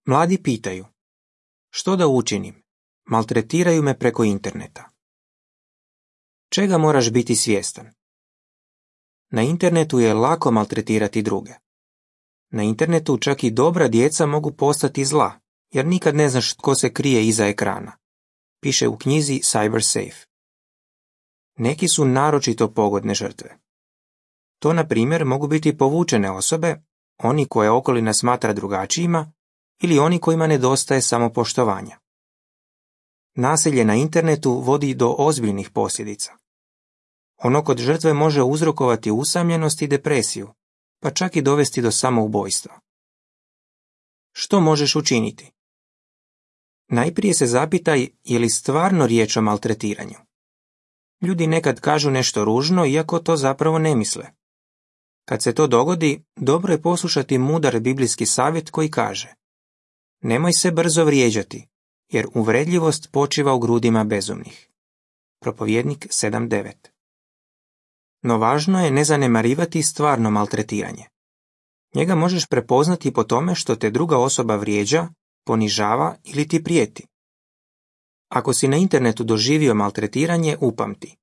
Mladi pitaju, što da učinim? Maltretiraju me preko interneta. Čega moraš biti svjestan? Na internetu je lako maltretirati druge. Na internetu čak i dobra djeca mogu postati zla, jer nikad ne znaš tko se krije iza ekrana. Piše u knjizi CyberSafe. Neki su naročito pogodne žrtve. To, na primjer, mogu biti povučene osobe, oni koje okolina smatra drugačijima ili oni kojima nedostaje samopoštovanja. Nasilje na internetu vodi do ozbiljnih posljedica. Ono kod žrtve može uzrokovati usamljenost i depresiju, pa čak i dovesti do samoubojstva. Što možeš učiniti? Najprije se zapitaj je li stvarno riječ o maltretiranju. Ljudi nekad kažu nešto ružno, iako to zapravo ne misle. Kad se to dogodi, dobro je poslušati mudar biblijski savjet koji kaže: nemoj se brzo vrijeđati, jer uvredljivost počiva u grudima bezumnih. Propovjednik 7.9. No važno je ne zanemarivati stvarno maltretiranje. Njega možeš prepoznati po tome što te druga osoba vrijeđa, ponižava ili ti prijeti. Ako si na internetu doživio maltretiranje, upamti.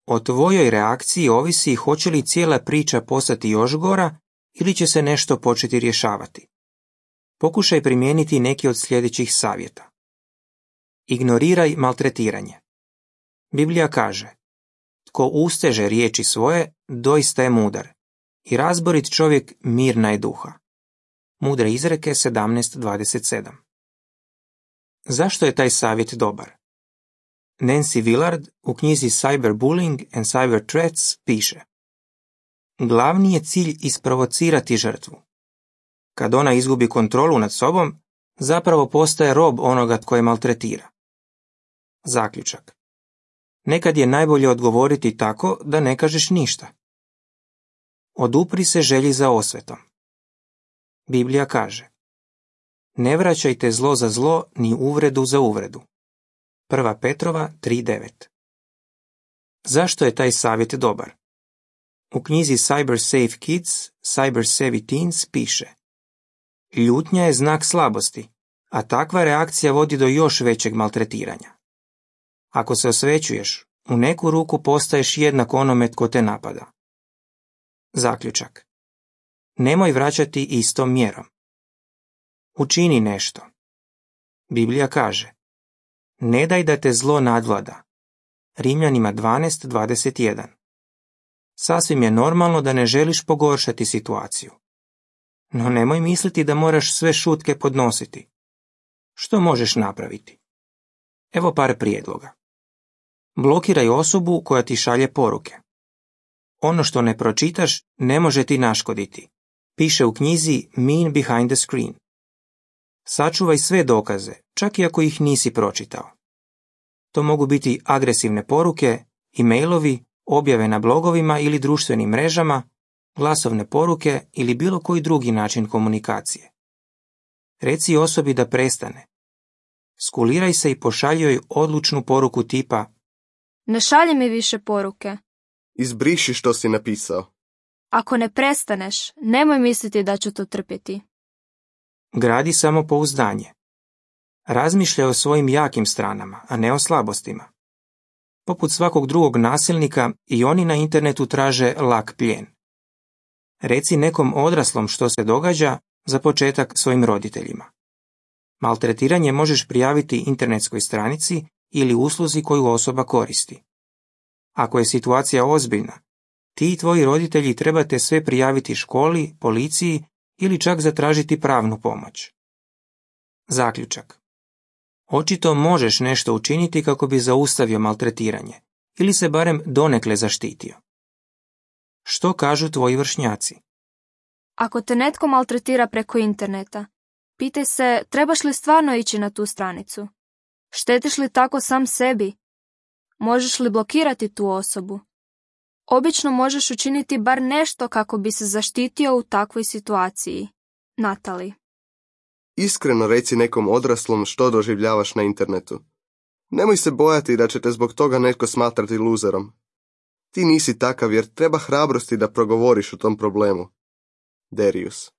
O tvojoj reakciji ovisi hoće li cijela priča postati još gora ili će se nešto početi rješavati. Pokušaj primijeniti neki od sljedećih savjeta. Ignoriraj maltretiranje. Biblija kaže: tko usteže riječi svoje, doista je mudar, i razborit čovjek mirna je duha. Mudre izreke 17.27. Zašto je taj savjet dobar? Nancy Willard u knjizi Cyberbullying and Cyber Threats piše: glavni je cilj isprovocirati žrtvu. Kad ona izgubi kontrolu nad sobom, zapravo postaje rob onoga tko je maltretira. Zaključak. Nekad je najbolje odgovoriti tako da ne kažeš ništa. Odupri se želji za osvetom. Biblija kaže: ne vraćajte zlo za zlo ni uvredu za uvredu. 1. Petrova 3.9. Zašto je taj savjet dobar? U knjizi CyberSafe Kids, CyberSavvy Teens piše: ljutnja je znak slabosti, a takva reakcija vodi do još većeg maltretiranja. Ako se osvećuješ, u neku ruku postaješ jednak onome tko te napada. Zaključak. Nemoj vraćati istom mjerom. Učini nešto. Biblija kaže: ne daj da te zlo nadvlada. Rimljanima 12.21. Sasvim je normalno da ne želiš pogoršati situaciju. No nemoj misliti da moraš sve šutke podnositi. Što možeš napraviti? Evo par prijedloga. Blokiraj osobu koja ti šalje poruke. Ono što ne pročitaš ne može ti naškoditi. Piše u knjizi Mean Behind the Screen. Sačuvaj sve dokaze, čak i ako ih nisi pročitao. To mogu biti agresivne poruke, e-mailovi, objave na blogovima ili društvenim mrežama, glasovne poruke ili bilo koji drugi način komunikacije. Reci osobi da prestane. Skuliraj se i pošalji joj odlučnu poruku tipa: ne šalji mi više poruke. Izbriši što si napisao. Ako ne prestaneš, nemoj misliti da ću to trpjeti. Gradi samopouzdanje. Razmišljaj o svojim jakim stranama, a ne o slabostima. Poput svakog drugog nasilnika, i oni na internetu traže lak plijen. Reci nekom odraslom što se događa, za početak svojim roditeljima. Maltretiranje možeš prijaviti internetskoj stranici ili usluzi koju osoba koristi. Ako je situacija ozbiljna, ti i tvoji roditelji trebate sve prijaviti školi, policiji ili čak zatražiti pravnu pomoć. Zaključak. Očito možeš nešto učiniti kako bi zaustavio maltretiranje ili se barem donekle zaštitio. Što kažu tvoji vršnjaci? Ako te netko maltretira preko interneta, pitaj se trebaš li stvarno ići na tu stranicu. Štetiš li tako sam sebi? Možeš li blokirati tu osobu? Obično možeš učiniti bar nešto kako bi se zaštitio u takvoj situaciji. Natalie. Iskreno reci nekom odraslom što doživljavaš na internetu. Nemoj se bojati da će te zbog toga netko smatrati luzerom. Ti nisi takav jer treba hrabrosti da progovoriš o tom problemu. Darius.